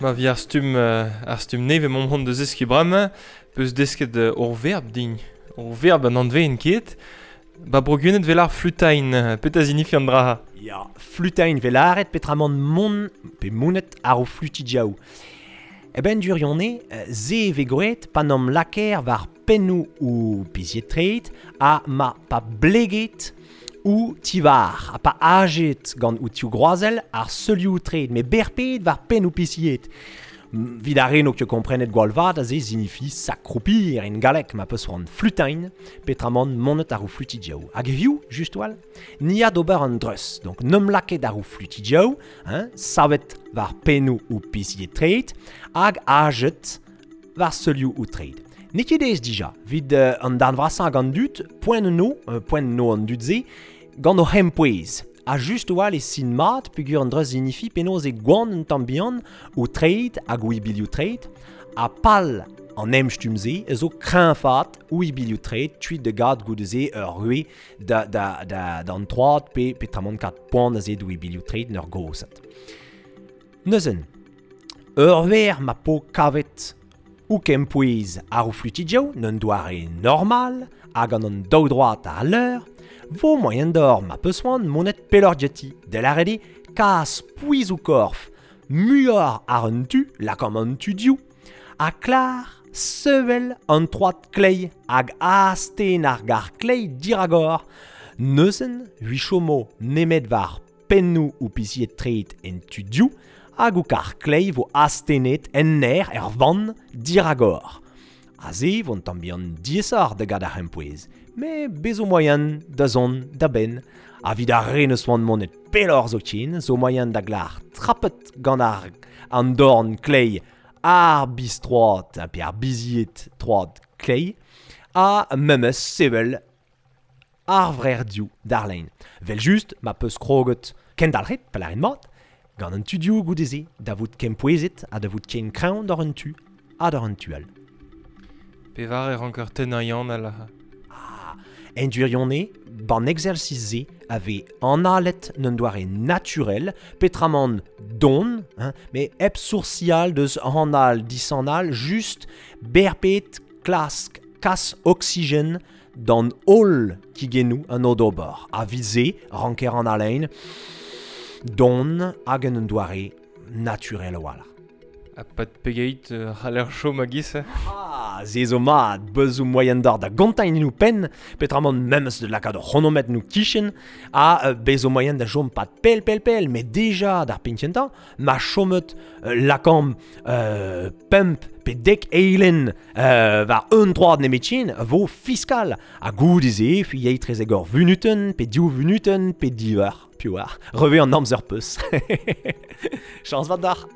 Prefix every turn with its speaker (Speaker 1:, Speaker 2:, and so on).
Speaker 1: Ma vi ar stumm, ar stumm nevez mont hon da zeskiñ bremañ, peus desket ur verb din. Ur verb an anveen ket. Ba bro Gwened 'vel ar flutain. Petra zinifi an dra?
Speaker 2: Ya, flutain 'vel lâret petramant mont pe monet àr o flutidiaoù. E ben durione, se vez gwraet pa n'am lakaer war pennoù ou bizied-treid ha ma pa bleget ou tivar ha pa ajet gant ou tivgroazell ar seulioù treid met berped war pennoù pisied. Vit ar re n'o ket komprenet gwall vat aze signifi s'accroupir en galleg ma peus c'hoant flutain petramant monet àr o flutidiaoù. Hag hiziv, just 'wal, ni a d'ober an dreuz. Donc n'om lakaet àr o flutidiaoù, hein, savet war pennoù ou pisied-treid hag ajet war seulioù ou treid. N'eo ket aes dija, evit an darn vrasañ ag an dud, poent no, poent no an dud-se, gant o c'hempouez. Ha just a-walc'h e sin mat peogwir an dreuz signifi penaos eo gwan un tamm bihan ho treid hag ho ibilioù treid, ha pal an emstumm-se a zo kreñfaat ho ibilioù treid kuit da gad goude-se ur rue da, da, da, d'an troad pe petramant kat poan aze d'ho ibilioù treid en ur gozhat. Neuzen, ur wech ma po kavet ho kempouez àr ho flutidioù d'un doare normal ha gant an daou droad àr al leur, vo moaien deoc'h ma peus c'hoant monet pelloc'h diouti, da lâret eo kas pouez ho korf muioc'h àr un tu, lakaomp an tu div, ha klar sevel an troad kleiz hag astenn ar gar kleiz dirak-hor. Neuzen, hui chomo nemet war pennoù ho pizied-treid en tu div hag ho kar kleiz vo astennet en aer er vann dirak-hor. Aze vo un tamm bihan diaesoc'h da gad ar c'hempouez, met bez zo moaien da zont da benn. Ha evit ar re n'eus c'hoant monet pelloc'h zoken zo moaien da glar trapet gant ar an dorn kleiz ar biz-troad pe ar bizied troad kleiz ha memes sevel ar vrec'h-div d'ar lein. Vel-just, ma peus kroget kendalc'het, pa lârin mat, gant an tudioù goude-se da vout kempouezet ha da vout ken kreñv d'ar un tu ha d'ar un tu all.
Speaker 1: Pevar e ranker tennañ Yann all.
Speaker 2: Ah, en gwirionez, ban exercice-se a vez analet d'un doare naturel, petramant don, hein, mais hep sourcial deus anal disanal, just berped klask kas oksigen d'an holl kigennoù an odober. A vit-se ranker an halein don hag en un doare naturel a-walc'h.
Speaker 1: Ha pad pegeit c'haller chom a-giz
Speaker 2: Ah, se zo mat, beuz zo moaien d'ar da gontañ en penn, petramant memes da lakaat ur c'hronometr en ho kichen, ha bez zo moaien da chom pad pell pell pell, met deja d'ar penn kentañ, ma chomet lakaomp pemp pe dek eilenn war un troad nemetken a vo fiskal. Ha goude-se, fi yey trezek ur vunutenn, pe div vunutenn, pe div eur, piv oar. Revez an amzer peus. Chañs vat deoc'h.